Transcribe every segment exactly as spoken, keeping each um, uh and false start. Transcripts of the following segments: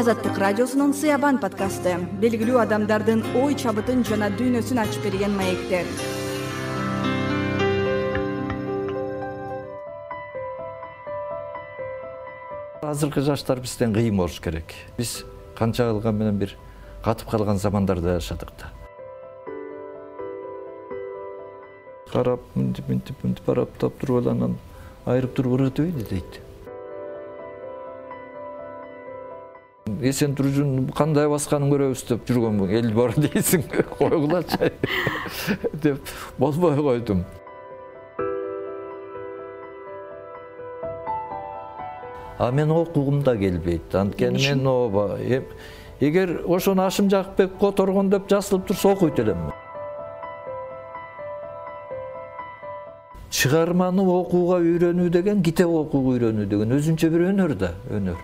Азаттык радиосунун Сыябан подкасты. Белгилүү адамдардын ой чабытын жана дүйнөсүн ачып берген маектер. Азыркы жаштар бизден кыйын болуш керек. Биз канча кылган менен бир катып калган замандарда жашадык да. Карап, мынтип, мынтип, мынтип барап таптырып аланан айрып туруп ыргытып дейт. Эсен туржун кандай басканын көрөбүз деп жүргөн эл бар дейсиң, койгулачы деп болбой койдум. А мен окугум да келбейт. Анткени мен ооба эгер ошону Ашым Жакыпбек которгон деп жазылып турса окуйт элем. Чыгарманы окууга үйрөнүү деген, китеп окууга үйрөнүү деген өзүнчө бир өнөр да, өнөр.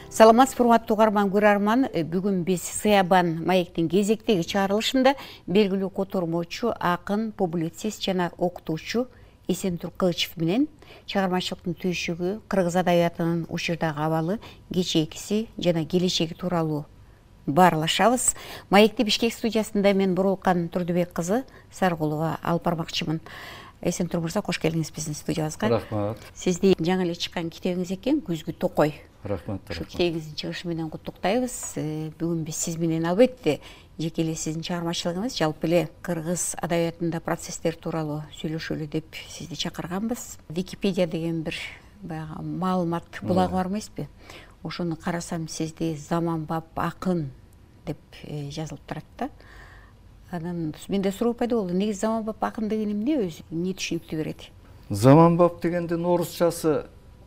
Саламатсызбы, урматтуу угарман, көрөрман. Бүгүн биз Сыябан маектин кезектеги чыгарылышында белгилүү котормочу, акын, публицист жана окутуучу Эсентур Кылычев менен чыгармачылыктын түйшүгү, кыргыз адабиятынын учурдагы абалы, кечээкиси жана келечеги тууралуу баарлашабыз. Маекти Бишкек студиясында мен Бурулкан Турдубек кызы Саргулова алып бармакчымын. Эсентур мырза, кош келдиңиз биздин студиябызга. Рахмат. Сизди жаңы эле чыккан китебиңиз экен, Күзгү токой. Рахмат. Ушул китебиңиздин чыгышы менен куттуктайбыз. Бүгүн биз сиз менен албетте жеке эле сиздин чыгармачылыгыңыз, жалпы эле кыргыз адабиятында процесстер тууралуу сүйлөшөлү деп сизди чакырганбыз. Википедия деген бир баягы маалымат булагы бар эмеспи? Ошону карасам, сизди заманбап акын деп жазылып турат да. Анан менде суроо пайда болду. Негизи заманбап акын деген эмне, өзү эмне түшүнүктү берет? Заманбап дегендин орусчасы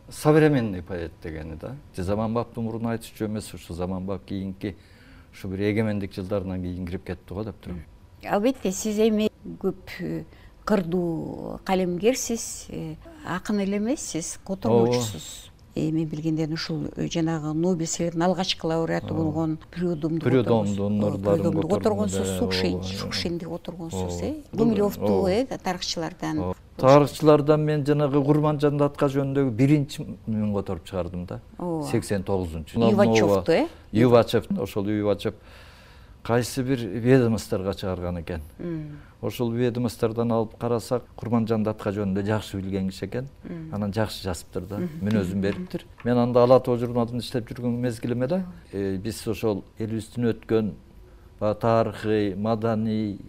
современный поэт дегени да. Заманбаптын мурун айтышчу эмес, ушу заманбап кийинки ушу бир эгемендик жылдарынан кийин кирип кетти го деп турам. Албетте, сиз эми көп кырдуу калемгерсиз, акын эле эмес, сиз котормочусуз. Мен билгенден ушул жанагы Нобель сыйлыгынын алгачкы лауреаты болгон Прюдомду которгонсуз, Шукшинди которгонсуз, э? Гумилевду, э, тарыхчылардан. Тарыхчылардан мен жанагы Курманжан Датка жөнүндөгү биринчи мен которуп чыгардым да. сексен тогузунчу. Ювачевду, э? Ювачев, ошол Ювачев кайсы бир ведомстволорго чыгарган экен. Ошол ведомстволордон алып карасак, Курманжан Датка жөнүндө жакшы билген киши экен. Анан жакшы жазыптыр да, мүнөзүн бериптир. Мен анда Ала Тоо журналында иштеп жүргөн мезгилиме да, биз ошол элибиздин өткөн тарыхый, маданий,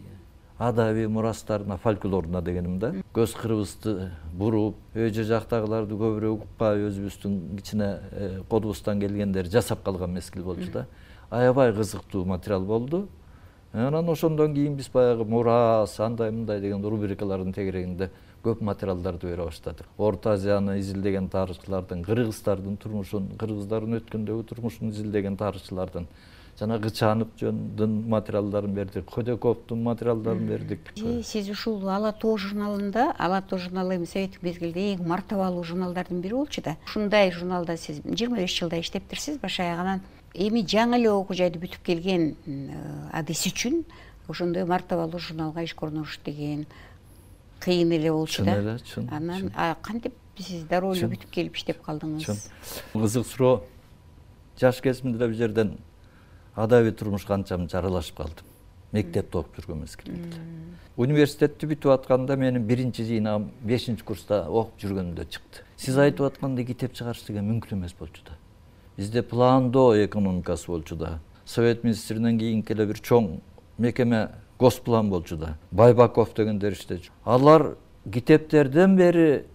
адабий мурастарына, фольклоруна дегеним да, көз кырыбызды буруп, өйжө жактагыларды көбүрөөк укпай, өзүбүздүн кичине колубуздан келгендер жасап калган мезгил болчу да. Аябай кызыктуу материал болду. Анан ошондон кийин биз баягы мурас, андай мындай деген рубрикалардын тегерегинде көп материалдарды бере баштадык. Орто Азияны изилдеген тарыхчылардын, кыргыздардын турмушун, кыргыздардын өткөндөгү турмушун изилдеген тарыхчылардын жана Кычанов жөнүндө материалдарын бердик, Ходяковдун материалдарын бердик. Сиз ушул Ала Тоо журналында, Ала Тоо журналы эми советтик мезгилде эң мартабалуу журналдардын бири болчу да. Ушундай журналда сиз жыйырма беш жылда иштептирсиз баш аягынан. Эми жаңы эле окуу жайды бүтүп келген адис үчүн ошондой мартабалуу журналга ишке орношуш деген кыйын эле болчу да. Чын эле, чын. Анан кантип сиз дароо эле бүтүп келип иштеп калдыңыз? Кызык суроо. Жаш кезимде бир жерден адабий турмуш канчам жаралашып калдым. Мектепте окуп жүргөн мезгилимде. Университетти бүтүп атканда менин биринчи жыйнагым бешинчи курста окуп жүргөнүмдө чыкты. Сиз айтып аткандай китеп чыгарыш деген мүмкүн эмес болчу да. Бизде пландоо экономикасы болчу да. Совет министринен кийинки эле бир чоң мекеме Госплан болчу да. Байбаков дегендер иштечү. Алар китептерден бери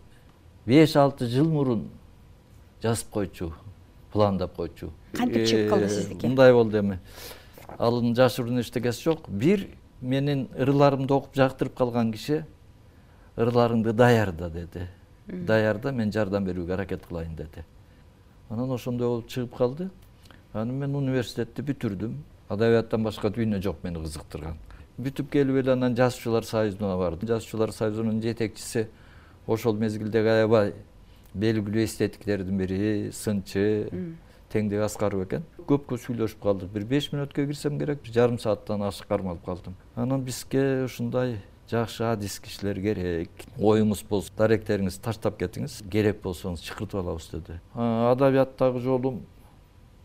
беш алты жыл мурун жазып койчу, пландап койчу. Кантип чыгып калды сиздики? Мындай болду эми. Алын жашыруун эчтекеси жок. Бир менин ырларымды окуп жактырып калган киши ырларыңды даярда деди. Даярда, мен жардам берүүгө аракет кылайын деди. Анан ошондой болуп чыгып калды. Анан мен университетти бүтүрдүм. Адабияттан башка дүйнө жок мени кызыктырган. Бүтүп келип эле анан жазуучулар союзуна бардым. Жазуучулар союзунун жетекчиси ошол мезгилдеги аябай белгилүү эстетиктердин бири, сынчы, Теңдик Аскаров экен. Көпкө сүйлөшүп калдык. Бир беш мүнөткө кирсем керек, жарым сааттан ашык кармалып калдым. Анан бизге ушундай жакшы адис кишилер керек. Оюңуз болсо даректериңизди таштап кетиңиз, керек болсоңуз чакыртып алабыз деди. Адабияттагы жолум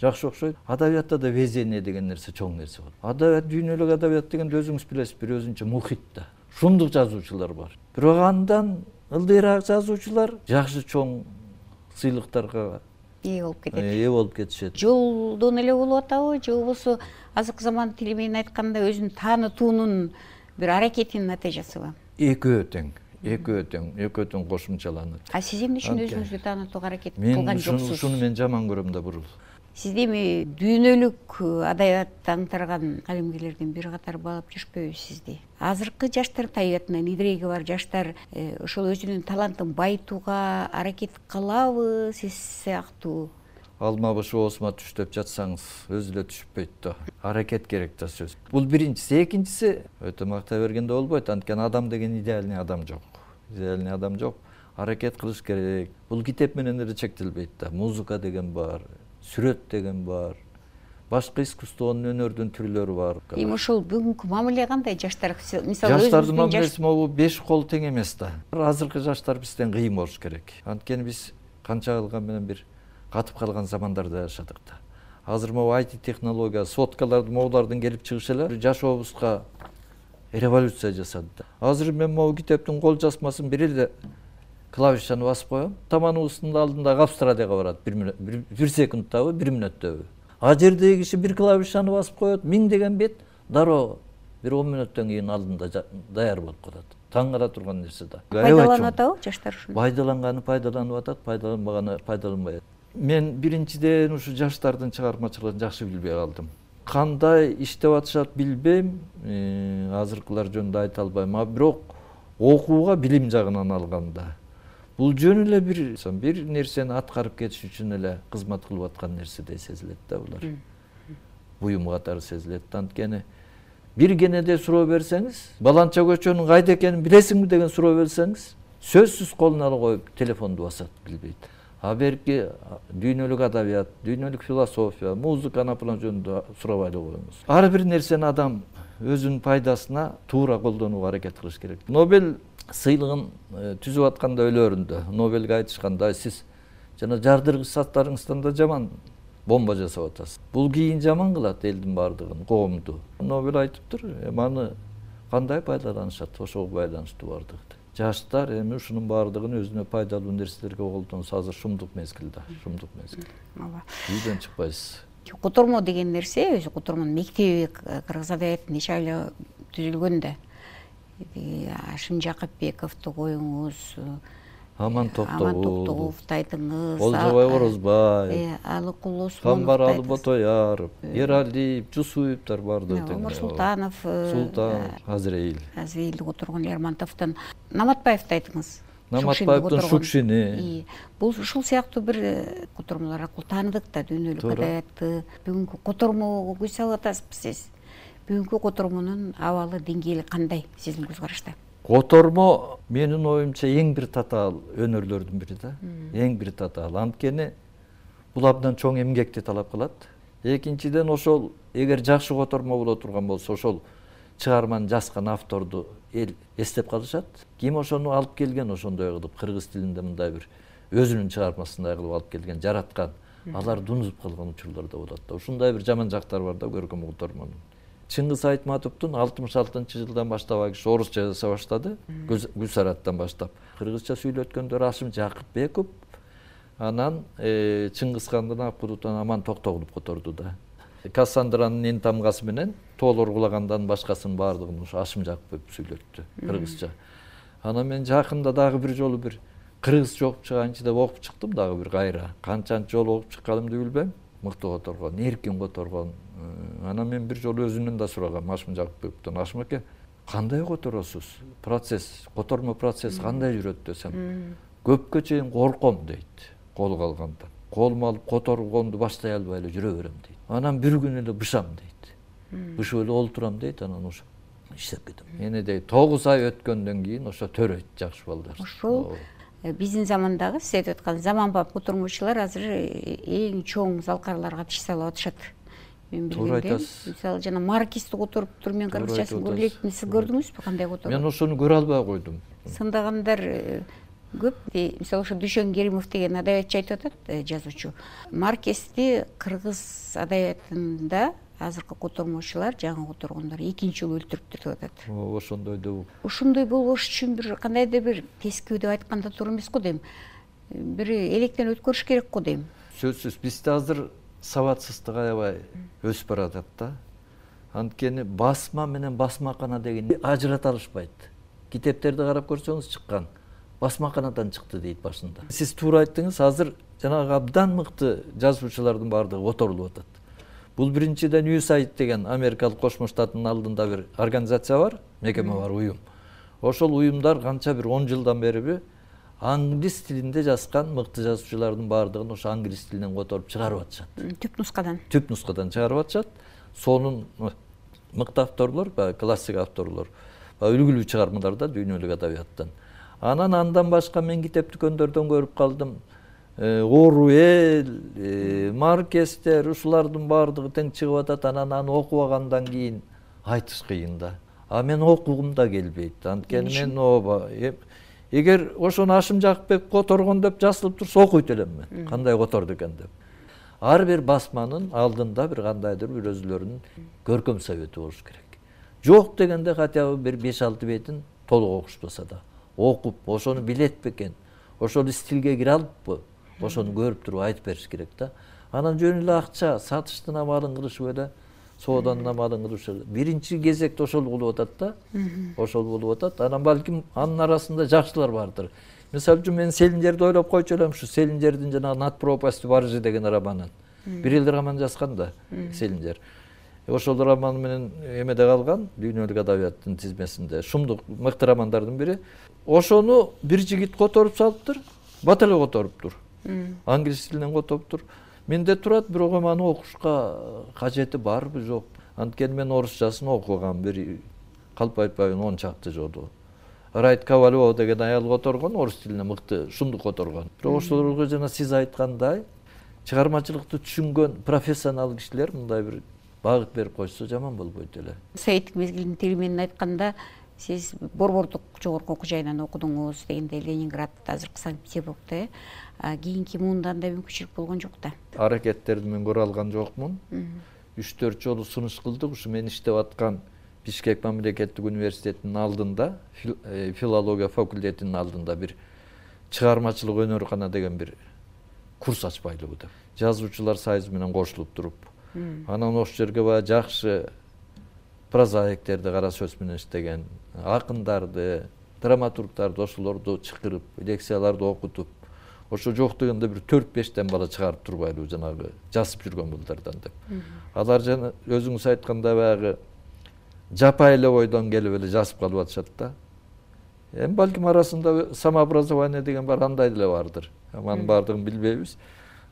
жакшы окшойт. Адабиятта да везение деген нерсе чоң нерсе бар. Адабият, дүйнөлүк адабият дегенде өзүңүз билесиз, бир өзүнчө мухит да. Шундук жазуучулар бар. Бирок андан ылдыйраак жазуучулар жакшы чоң сыйлыктарга ээ болуп кетет. Ээ болуп кетишет. Жолдон эле болуп атабы, же болбосо азыркы заман тили менен айтканда өзүн таанытуунун бир аракетинин натыйжасыбы? Экөө тең. Экөө тең, экөө тең кошумчаланат. А сиз эмне үчүн өзүңүздү таанытууга аракет кылган жоксуз? Мен ушуну мен жаман көрөм да бурул. Сизди эми дүйнөлүк адабиятты аңтарган калемгерлердин бир катары баалап жүрүшпөйбү сизди? Азыркы жаштар, табиятынан идиреги бар жаштар ошол өзүнүн талантын байытууга аракет кылабы сиз сыяктуу? Алма бышы оосума түш деп жатсаңыз өзү эле түшүп бейт да. Аракет керек да сөз. Бул биринчиси. Экинчиси, өтө мактай бергенде болбойт. Анткени адам деген идеальный адам жок. Идеальный адам жок. Аракет кылыш керек. Бул китеп менен эле чектелбейт да. Музыка деген бар, сүрөт деген бар, башка искусствонун, өнөрдүн түрлөрү бар. Эми ошол бүгүнкү мамиле кандай жаштар? Мисалы жаштардын мамилеси могу беш кол тең эмес да. Азыркы жаштар бизден кыйын болуш керек. Анткени биз канча кылган менен бир катып калган замандарда жашадык да. Азыр могу ай ти технология, соткалардын моулардын келип чыгышы эле жашообузга революция жасады да. Азыр мен могу китептин кол жазмасын бир эле клавишаны басып коем, таманыбыздын алдындагы Австралияга барат бир секундтабы, бир мүнөттөбү. А жердеги киши бир клавишаны басып коет, миңдеген бет дароо бир он мүнөттөн кийин алдында даяр болуп калат. Таң кала турган нерсе да. Пайдаланып атабы жаштар ушуну? Пайдаланганы пайдаланып атат, пайдаланбаганы пайдаланбай атат. Мен биринчиден ушу жаштардын чыгармачылыгын жакшы билбей калдым. Кандай иштеп атышат билбейм, азыркылар жөнүндө айта албайм, а бирок окууга билим жагынан алганда бул жөн эле бир бир нерсени аткарып кетиш үчүн эле кызмат кылып аткан нерседей сезилет да булар. Буюм катары сезилет. Анткени бир кенеде суроо берсеңиз, баланча көчөнүн кайда экенин билесиңби деген суроо берсеңиз, сөзсүз колуна ала коюп телефонду басат, билбейт. А берки дүйнөлүк адабият, дүйнөлүк философия, музыка напылан жөнүндө сурабай эле коебуз. Ар бир нерсени адам өзүнүн пайдасына туура колдонууга аракет кылыш керек. Нобель сыйлыгын түзүп атканда өлөрүндө Нобельге айтышканда, сиз жана жардыргыч заттарыңыздан да жаман бомба жасап атасыз. Бул кийин жаман кылат элдин баардыгын, коомду. Нобель айтыптыр, эми аны кандай пайдаланышат, ошого байланыштуу баардыгы. Жаштар эми ушунун баардыгын өзүнө пайдалуу нерселерге колдонсо азыр шумдук мезгил да, шумдук мезгил. Ооба. Үйдөн чыкпайсыз. Котормо деген нерсе, өзү котормонун мектеби кыргыз адабиятында эч айла түзүлгөн да. Ашим Жакыпбековду коюңуз, Аман Токтогуловду айтыңыз, Олжобай Орозбаев, Алыкул Осмонов, Камбаралы Ботояров, Эралиев, Жусуевдер бардыгы тең. Омар Султанов, Султан, Азреил. Азреилди которгон, Лермонтовдон, Наматбаевди айтыңыз. Наматбаевдин Шукшини. Бул ушул сыяктуу бир котормолор аркылуу тааныдык да дүйнөлүк адабиятты. Бүгүнкү котормого көз салып атасызбы сиз? Бүгүнкү котормонун абалы, деңгээли кандай сиздин көз карашта? Котормо менин оюмча эң бир татаал өнөрлөрдүн бири да. Эң бир татаал. Анткени бул абдан чоң эмгекти талап кылат. Экинчиден, ошол эгер жакшы котормо боло турган болсо, ошол чыгарманы жазган авторду эл эстеп калышат. Ким ошону алып келген, ошондой кылып кыргыз тилинде мындай бир өзүнүн чыгармасындай кылып алып келген, жараткан, аларды унутуп калган учурлар да болот да. Ушундай бир жаман жактары бар да көркөм котормонун. Чыңгыз Айтматовдун алтымыш алтынчы жылдан баштап ал киши орусча жаза баштады, Гүлсараттан баштап. Кыргызча сүйлөткөндөр Ашим Жакыпбеков, анан Чыңгыз хандын Акбудутан Аман Токтогулов которду да. Кассандранын эн тамгасы менен тоолор кулагандан башкасын баардыгын ушу Ашим Жакыпбеков сүйлөттү кыргызча. Анан мен жакында дагы бир жолу бир кыргызча окуп чыганчы деп окуп чыктым дагы бир кайра. Канчанчы жолу окуп чыкканымды билбейм. Мыктуу которгон, эркин которгон. Анан мен бир жолу өзүнөн да сурагам Ашим Жакыпбековдон. Ашим аке, кандай которосуз? Процесс, котормо процесс кандай жүрөт десем, көпкө чейин корком дейт, колго алгандан. Колума алып которгонду баштай албай эле жүрө берем дейт. Анан бир күн эле бышам дейт. Бышып эле олтурам дейт, анан ошо иштеп кетем. Эне дейт тогуз ай өткөндөн кийин ошо төрөйт жакшы балдар. Ошол биздин замандагы сиз айтып аткан заманбап котормочулар азыр эң чоң залкарларга тиш салып атышат. мен Туура билгенден. айтасыз. Мисалы жана Маркести которуп туруп мен кыргызчасын көрө электим. Сиз көрдүңүзбү кандай которот? Мен ошону көрө албай койдум. Сындагандар көп. Мисалы ошо Дүйшөн Керимов деген адабиятчы айтып атат, жазуучу. Маркести кыргыз адабиятында азыркы котормочулар, жаңы которгондор экинчи жолу өлтүрүптүр деп атат. Ошондой деп. Ошондой болбош үчүн бир кандайдыр бир тескөө деп айтканда туура эмес го дейм. Бир электен өткөрүш керек го дейм. Сөзсүз бизде азыр сабатсыздык аябай өсүп баратат да. Анткени басма менен басмакана деген ажырата алышпайт. Китептерди карап көрсөңүз чыккан. Басмаканадан чыкты дейт башында. Сиз туура айттыңыз, азыр жанагы абдан мыкты жазуучулардын баардыгы которулуп атат. Бул биринчиден ю эс эй ай ди деген Америкалык Кошмо Штаттын алдында бир организация бар, мекеме бар, уюм. Ошол уюмдар канча бир он жылдан бериби англис тилинде жазган мыкты жазуучулардын баардыгын ошо англис тилинен которуп чыгарып атышат. Түп нускадан. Түп нускадан чыгарып атышат. Сонун мыкты авторлор, баягы классик авторлор, үлгүлүү чыгармаларда дүйнөлүк адабияттан. Анан андан башка мен китеп дүкөндөрдөн көрүп калдым. Оруэлл, Маркестер, ушулардын баардыгы тең чыгып атат. Анан аны окубагандан кийин айтыш кыйын да. А мен окугум да келбейт. Анткени мен ооба эгер ошону Ашым Жакыпбек которгон деп жазылып турса окуйт элем мен. Кандай которду экен деп. Ар бир басманын алдында бир кандайдыр бир өзүлөрүнүн көркөм совети болуш керек. Жок дегенде хотя бы бир беш алты бетин толук окушпаса да окуп, ошону билет бекен, ошол стилге кире алыппы, ошону көрүп туруп айтып бериш керек да. Анан жөн эле акча сатыштын амалын кылышып эле, сооданын амалын кылышып. Биринчи кезекте ошол болуп атат да. Ошол болуп атат. Анан балким анын арасында жакшылар бардыр. Мисалы үчүн мен Селинжерди ойлоп койчу элем, ушу Селинжердин жанагы Над пропастью Баржи деген романын. Бир элдир роман жазган да Селинжер. Ошол роман менен эмеде калган, дүйнөлүк адабияттын тизмесинде. Шумдук мыкты романдардын бири. Ошону бир жигит которуп салыптыр, бат эле которуптур. Англис тилинен которуптур. Менде турат, бирок аны окушка кажети барбы, жок. Анткени мен орусчасын окугам, бир калп айтпайын он чакты жолу. Райт Ковалева деген аял которгон, орус тилине мыкты шумдук которгон. Бирок ошолорго жана сиз айткандай, чыгармачылыкты түшүнгөн профессионал кишилер мындай бир багыт берип койсо жаман болбойт эле. Советтик мезгилдин тили менен айтканда, сиз Борбордук жогорку окуу жайынан окудуңуз дегенде Ленинград, азыркы Санкт-Петербургда. Кийинки муунда андай мүмкүнчүлүк болгон жок да. Аракеттерди мен көрө алган жокмун. үч төрт жолу сунуш кылдык. Ушу мен иштеп аткан Бишкек мамлекеттик университетинин алдында, филология факультетинин алдында бир чыгармачылык өнөркана деген бир курс ачпайлыбы деп. Жазуучулар союзу менен кошулуп туруп. Анан ошол жерге баягы жакшы прозаиктерди кара сөз менен иштеген, акындарды, драматургдарды ошолорду чакырып, лекцияларды окутуп, ошо жок дегенде бир төрт бештен бала чыгарып турбайлыбы жанагы жазып жүргөн булдардан деп. Алар жана өзүңүз айткандай баягы жапай эле ойдон келип эле жазып калып атышат да. Эми балким арасында самообразование деген бар, андай деле бардыр. Анын баардыгын билбейбиз.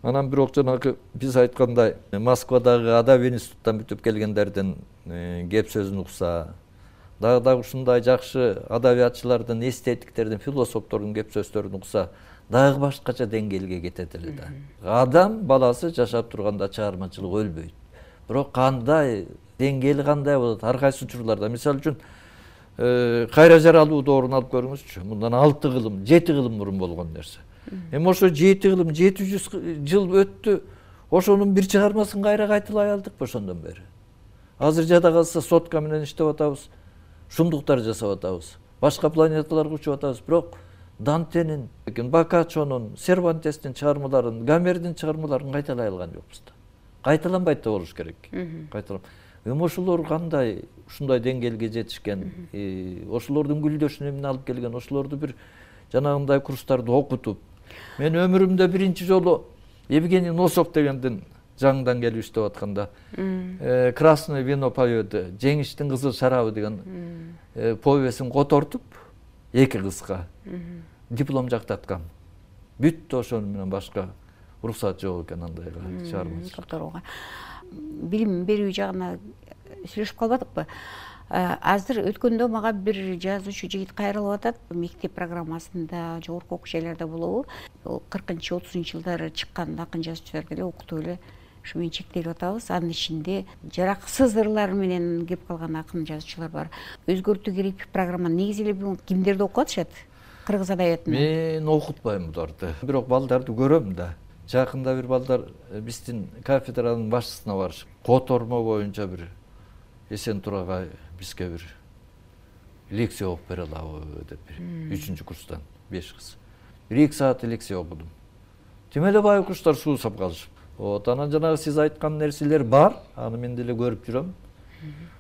Анан бирок жанагы биз айткандай Москвадагы адабий институттан бүтүп келгендердин кеп сөзүн укса, дагы да ушундай жакшы адабиятчылардын, эстетиктердин, философтордун кеп сөздөрүн укса, дагы башкача деңгээлге кетет эле да. Адам баласы жашап турганда чыгармачылык өлбөйт. Бирок кандай деңгээли кандай болот? Ар кайсы учурларда, мисалы үчүн Кайра Жаралуу доорун алып көрүңүзчү. Мындан алты кылым, жети кылым мурун болгон нерсе. Эми ошо жети кылым, жети жүз жыл өттү. Ошонун бир чыгармасын кайра кайталай алдыкпы ошондон бери? Азыр жада калса сотка менен иштеп атабыз, шумдуктар жасап атабыз, башка планеталарга учуп атабыз. Бирок Дантенин, Боккаччонун, Сервантестин чыгармаларын, Гомердин чыгармаларын кайталай алган жокпуз да. Кайталанбайт да болуш керек. Кайталам. Эми ошолор кандай ушундай деңгээлге жетишкен, ошолордун гүлдөшүн эмне алып келген, ошолорду бир жанагындай курстарды окутуп. Мен өмүрүмдө биринчи жолу Евгений Носов дегендин жаңыдан келип иштеп атканда Красное вино поёду, Жеңиштин кызыл шарабы деген повесин котортуп, эки кызга диплом жактаткам. Бүттү, ошону менен башка уруксат жок экен андайга чыгармачылыкка. Билим берүү жагына сүйлөшүп калбадыкпы? Азыр өткөндө мага бир жазуучу жигит кайрылып атат. Мектеп программасында, жогорку окуу жайларда болобу? Кыркынчы отузунчу жылдары чыккан акын жазуучуларды эле окутуп эле ушу менен чектелип атабыз. Анын ичинде жараксыз ырлар менен кеп калган акын жазуучулар бар. Өзгөртүү керек программаны негизи эле бүгүн кимдерди окуп атышат? Кыргыз адабиятын. Мен окутпайм буларды. Бирок балдарды көрөм да. Жакында бир балдар биздин кафедранын башчысына барышып, котормо боюнча бир Эсен Турага бизге бир лекция окуп бере алабы деп бир үчүнчү курстан беш кыз. бир эки саат лекция окудум. Тим эле байкуштар суусап калышып. Вот анан жанагы сиз айткан нерселер бар, аны мен деле көрүп жүрөм.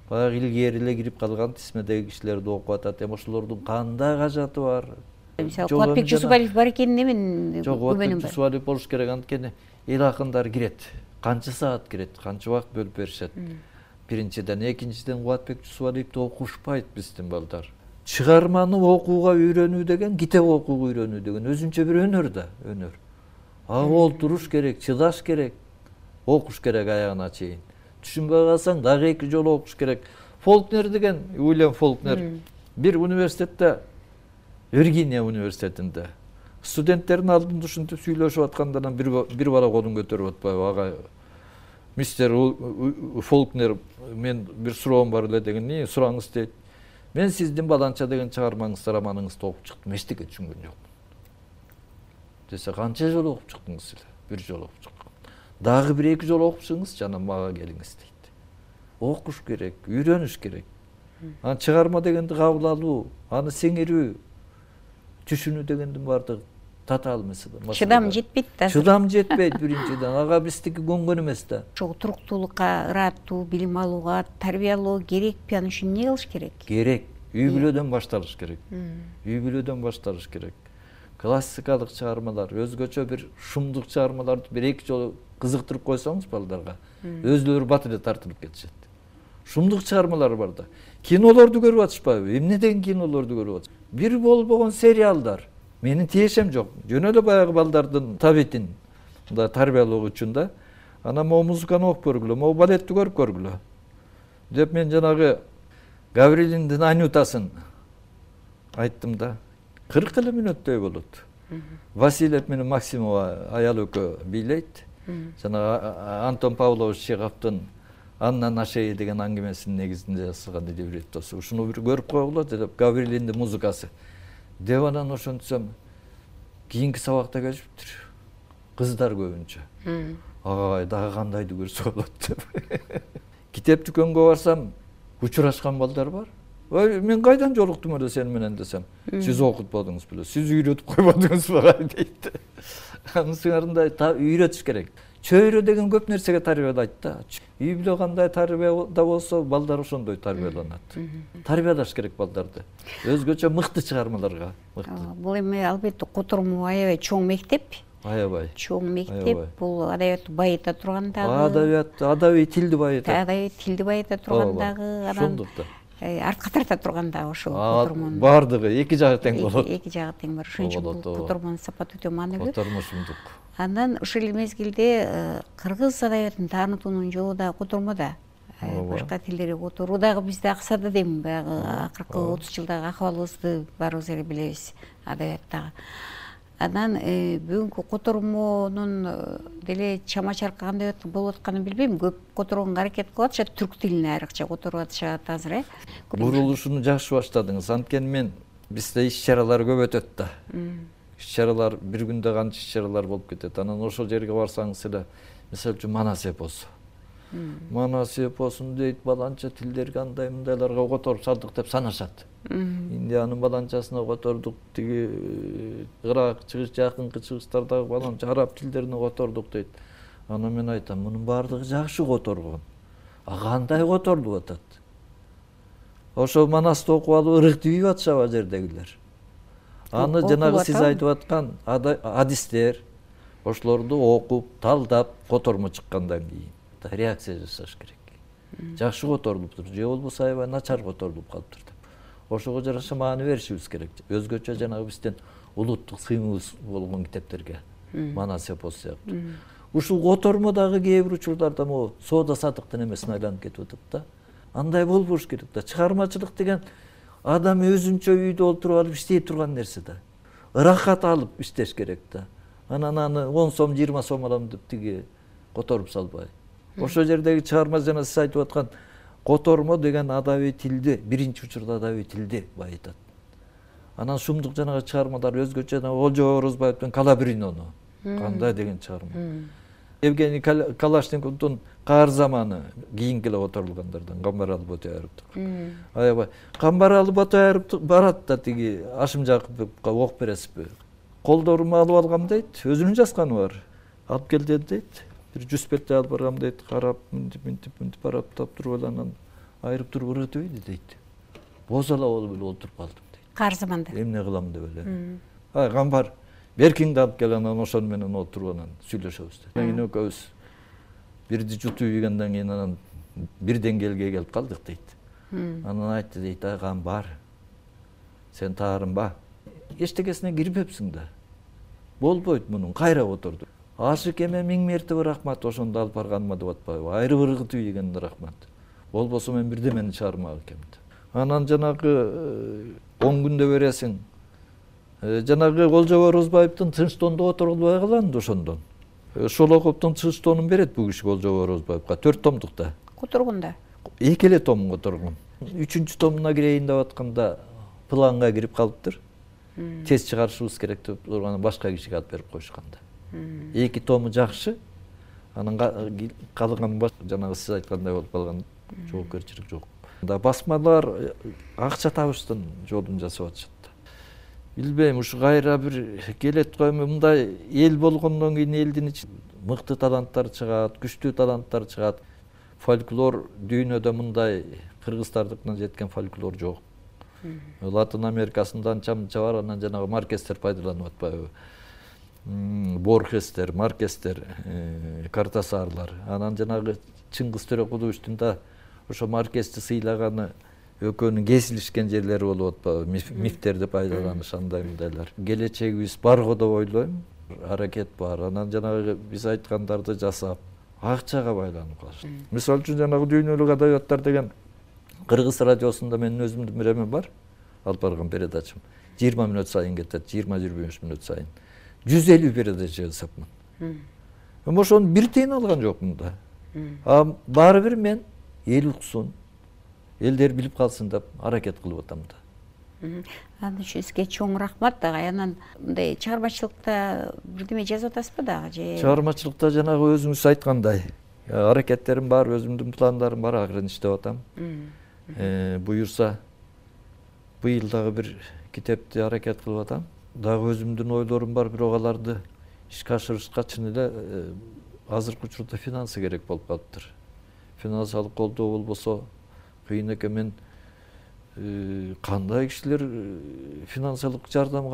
Баягы илгери эле кирип калган тизмедеги кишилерди окуп атат. Эми ошолордун кандай кажаты бар? Мисалы Кубатбек Жусупалиев бар экенине мен Жок, Кубатбек Жусупалиев болуш керек, анткени эл акындар кирет. Канча саат кирет, канча убакыт бөлүп беришет. Биринчиден, экинчиден Кубатбек Жусупалиевди окушпайт биздин балдар. Чыгарманы окууга үйрөнүү деген, китеп окууга үйрөнүү деген өзүнчө бир өнөр да, өнөр. Ага олтуруш керек, чыдаш керек, окуш керек аягына чейин. Түшүнбөй калсаң дагы эки жолу окуш керек. Фолкнер деген, Уильям Фолкнер бир университетте, Виргиния университетинде студенттердин алдында ушинтип сүйлөшүп атканда бир бир бала колун көтөрүп атпайбы? Ага, мистер Фолкнер, мен бир суроом бар эле деген, "Не сураңыз" дейт. "Мен сиздин баланча деген чыгармаңызды, романыңызды окуп чыктым, эчтеке түшүнгөн жокмун." Десе, "Канча жолу окуп чыктыңыз эле?" "Бир жолу окуп чыккам." "Дагы бир эки жолу окуп чыгыңыз, жана мага келиңиз" дейт. Окуш керек, үйрөнүш керек. Аны чыгарма дегенди кабыл алуу, аны сиңирүү, түшүнүү дегендин баардыгы татаал маселе. Чыдам жетпейт да. Чыдам жетпейт биринчиден. Ага биздики көнгөн эмес да. Ошол туруктуулукка, ыраттуу, билим алууга, тарбиялоо керекпи? Аны үчүн эмне кылыш керек? Керек. Үй бүлөдөн башталыш керек. Үй бүлөдөн башталыш керек. Классикалык чыгармалар, өзгөчө бир шумдук чыгармаларды бир эки жолу кызыктырып койсоңуз балдарга, өзүлөрү бат эле тартылып кетишет. Шумдук чыгармалар бар да. Кинолорду көрүп атышпайбы? Эмне деген кинолорду көрүп атышпайбы? Бир болбогон сериалдар. Менин тиешем жок. Жөн эле баягы балдардын табитин да тарбиялоо үчүн да. Анан могу музыканы окуп көргүлө, могу балетти көрүп көргүлө. Деп мен жанагы Гаврилиндин Анютасын айттым да. кырк эле мүнөттөй болот. Васильев менен Максимова аял экөө бийлейт. Жана Антон Павлович Чеховдун Анна на шее деген аңгемесинин негизинде жазылган либреттосу. Ушуну бир көрүп койгула деп, Гаврилиндин музыкасы. Деп анан ошентсем кийинки сабакта келишиптир. Кыздар көбүнчө. Агай дагы кандайды көрсө болот деп. Китеп дүкөнгө барсам, учурашкан балдар бар. Ой, мен кайдан жолуктум эле сени менен десем, сиз окутпадыңыз беле, сиз үйрөтүп койбодуңузбу дейт. Анын сыңарында үйрөтүш керек. Чөйрө деген көп нерсеге тарбиялайт да. Үй бүлө кандай тарбияда болсо, балдар ошондой тарбияланат. Тарбиялаш керек балдарды. Өзгөчө мыкты чыгармаларга. Бул эми албетте котормо аябай чоң мектеп. Аябай. Чоң мектеп, бул адабиятты байыта тургандагы. Адабият, адабий тилди байыта. Адабий тилди байыта тургандагы, анан артка тарта тургандагы ошол котормонун. Бардыгы эки жагы тең болот. Эки жагы тең бар. Ошон үчүн бул котормонун сапаты өтө маанилүү. Котормо шумдук. Андан ушул мезгилде кыргыз адабиятын таанытуунун жолу да котормодо. Башка тилдерге которуу дагы бизде акса да дейм, баягы акыркы отуз жылдагы акыбалыбызды баарыбыз эле билебиз адабияттагы. Анан бүгүнкү котормонун деле чама чаркы кандай болуп атканын билбейм. Көп которгонго аракет кылып атышат, түрк тилине айрыкча которуп атышат азыр, э. Бурулушуну жакшы баштадыңыз. Анткени мен бизде иш-чаралар көп өтөт да. Иш-чаралар бир күндө канча иш-чаралар болуп кетет. Анан ошол жерге барсаңыз эле, мисалы үчүн Манас эпосу. Манас эпосун дейт, баланча тилдерге андай мындайларга которуп салдык деп санашат. Индиянын баланчасына котордук, тиги Ирак, чыгыш, жакынкы чыгыштардагы баланча араб тилдерине котордук дейт. Анан мен айтам, мунун баардыгы жакшы которгон. А кандай которулуп атат? Ошол Манасты окуп алып ырыктып атышабы жердегилер. Аны жанагы сиз айтып аткан адистер ошолорду окуп, талдап, котормо чыккандан кийин реакция жасаш керек. Жакшы которулуптур, же болбосо аябай начар которулуп калыптыр деп. Ошого жараша маани беришибиз керек. Өзгөчө жанагы биздин улуттук сыймыбыз болгон китептерге, Манас эпосу сыяктуу. Ушул котормо дагы кээ бир учурларда могу соода сатыктын эмесине айланып кетип атат да. Андай болбош керек да. Чыгармачылык деген адам өзүнчө үйдө олтуруп алып иштей турган нерсе да. Ырахат алып иштеш керек да. Анан аны он сом, жыйырма сом алам деп тиги которуп салбай. Ошол жердеги чыгарма жана сиз айтып аткан котормо деген адабий тилди биринчи учурда адабий тилди байытат. Анан шумдук жанагы чыгармалар өзгөчө, жана Олжо Орозбаевдин Калабринону кандай деген чыгарма. Евгений Калашниковдун Каар заманы кийинки эле которулгандардан Камбаралы Ботояровдук. Аябай Камбаралы Ботояров барат да тиги Ашым Жакыповго окуп бересизби? Колдорума алып алгам дейт, өзүнүн жазганы бар. Алып келдим дейт. Бир жүз бетте алып баргам дейт, карап, мынтип, мынтип, мынтип барап таап туруп эле анан айырып туруп ыргытып дейт. Бозала болуп эле олтуруп калдым дейт. Каар заманда. Эмне кылам деп эле. Ай, Камбар, беркиңди алып кел, анан ошону менен отуруп анан сүйлөшөбүз дейт. Кийин экөөбүз бирди жутуп ийгенден кийин анан бир деңгээлге келип калдык дейт. Анан айтты дейт, ай Камбар, сен таарынба. Эчтекесине кирбепсиң да. Болбойт мунун, кайра отурду. Ашык эме миң мертебе рахмат, ошондо алып барганыма деп атпайбы? Айрып ыргытып ийгенине рахмат. Болбосо мен бирдемени чыгармак экем. Анан жанагы он күндө бересиң. Жанагы Олжо Орозбаевдин Тынчтондо отурулбай калам да ошондон. Шолоковдун Тынчтонун берет бул киши Олжо Орозбаевга төрт томдукта. Которгонда. Эки эле том которгон. Үчүнчү томуна кирейин деп атканда планга кирип калыптыр. Тез чыгарышыбыз керек деп турган башка кишиге алып берип коюшканда. Эки тому жакшы, анан калган жанагы сиз айткандай болуп калган жоопкерчилик жок. Да басмалар акча табыштын жолун жасап атышат. Билбейм, ушу кайра бир келет койму, мындай эл болгондон кийин элдин ичинде мыкты таланттар чыгат, күчтүү таланттар чыгат. Фольклор дүйнөдө мындай кыргыздардыкынан жеткен фольклор жок. Латын Америкасында анча-мынча бар, анан жанагы маркестер пайдаланып атпайбы? Борхестер, Маркестер, Картасарлар. Анан жанагы Чыңгыз Төрөкуловичтин да ошо Маркести сыйлаганы экөөнүн кесилишкен жерлери болуп атпайбы? Мифтерди пайдаланыш, андай мындайлар. Келечегибиз барго деп ойлойм. Аракет бар. Анан жанагы биз айткандарды жасап, акчага байланып калышат. Мисалы үчүн жанагы дүйнөлүк адабияттар деген Кыргыз радиосунда менин өзүмдүн бир эме бар. Алып барган передачам. жыйырма мүнөт сайын кетет, жыйырма жыйырма беш мүнөт сайын. жүз элүү передача жасапмын. Эми ошону бир тыйын алган жокмун да. А баары бир мен эл уксун, элдер билип калсын деп аракет кылып атам да. Анын үчүн сизге чоң рахмат дагы. Анан мындай чыгармачылыкта бирдеме жазып атасызбы дагы же? Чыгармачылыкта жанагы өзүңүз айткандай аракеттерим бар, өзүмдүн пландарым бар, акырын иштеп атам. Буюрса быйыл дагы бир китепти аракет кылып атам. Дагы өзүмдүн ойлорум бар, бирок аларды ишке ашырышка чын эле азыркы учурда финансы керек болуп калыптыр. Финансылык колдоо болбосо кыйын экен. Мен кандай кишилер финансылык жардам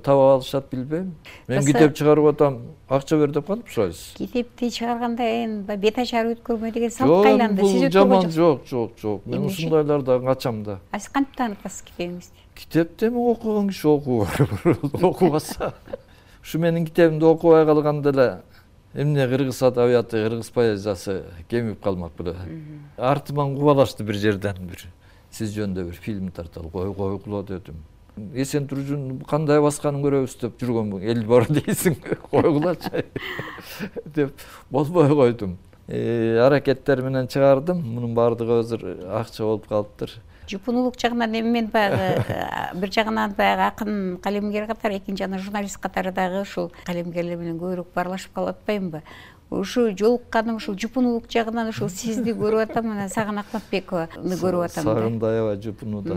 таба алышат билбейм. Мен китеп чыгарып атам, акча бер деп кантип сурайсыз? Китепти чыгарганда эми бет ачары өткөрмө деген салт кайланды. Сиз жаман жок, жок, жок. Мен ушундайлардан качам да. А сиз кантип таанытасыз китебиңизди? Китепти эми окуган киши окуу, окубаса. Ушу менин китебимди окубай калганда эле эмне кыргыз адабияты, кыргыз поэзиясы кемип калмак беле. Артыман кубалашты бир жерден бир. Сиз жөнүндө бир фильм тарталы кой койгула дедим. Эсен Туржун кандай басканын көрөбүз деп жүргөн эл бар дейсиң, койгулачы деп болбой койдум. Аракеттер менен чыгардым. Мунун баардыгы азыр акча болуп калыптыр. Жупунулук жагынан эми мен баягы бир жагынан баягы акын калемгер катары, экинчи жагынан журналист катары дагы ушул калемгерлер менен көбүрөөк баарлашып калып атпаймынбы? Ушу жолукканым ушул жупунулук жагынан ушул сизди көрүп атам, анан Сагын Акматбекованы көрүп атам да. Сагын да аябай жупунууда.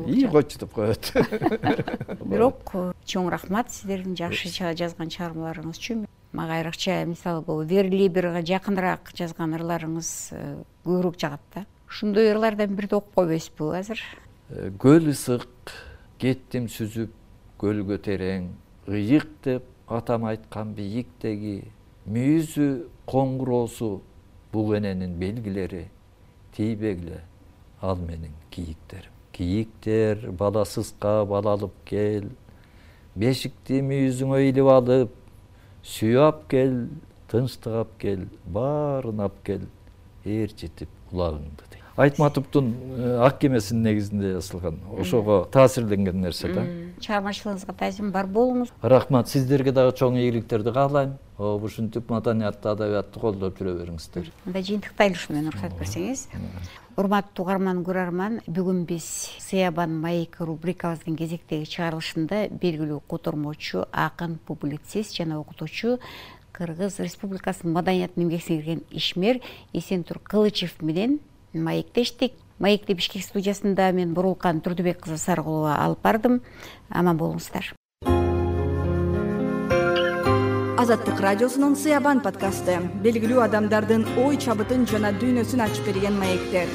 И койчу деп коет. Бирок чоң рахмат сиздердин жакшы жазган чыгармаларыңыз үчүн. Мага айрыкча мисалы бул Верлиберге жакыныраак жазган ырларыңыз көбүрөөк жагат да. Ушундай ырлардан бирди окуп койбойсузбу азыр? Көл ысык, кеттим сүзүп, көлгө терең, ыйык деп атам айткан бийиктеги мүйүзү коңгуроосу бул эненин белгилери, тийбегиле ал менин кийиктерим. Кийиктер баласызга бала алып кел, бешикти мүйүзүңө илип алып, сүйап кел, тынчтык ап кел, баарын ап кел, ээрчитип кулагыңды дейт. Айтматовдун Ак кемесинин негизинде жазылган. Ошого таасирленген нерсе да. Чыгармачылыгыңызга таасирим бар болуңуз. Рахмат, сиздерге дагы чоң ийгиликтерди каалайм. Ушинтип маданиятты, адабиятты колдоп жүрө бериңиздер. Мында жыйынтыктайлы ушу менен уруксат берсеңиз. Урматтуу угарман көрөрман, бүгүн биз Сыябан маек рубрикабыздын кезектеги чыгарылышында белгилүү котормочу, акын, публицист жана окутуучу Кыргыз Республикасынын маданиятын эмгек сиңирген ишмер Эсентур Кылычев менен маектештик. Маекти Бишкек студиясында мен Бурулкан Турдубек кызы Саргулова алып бардым. Аман болуңуздар. Азаттык радиосунун Сыябан подкасты белгилүү адамдардын ой чабытын жана дүйнөсүн ачып берген маектер.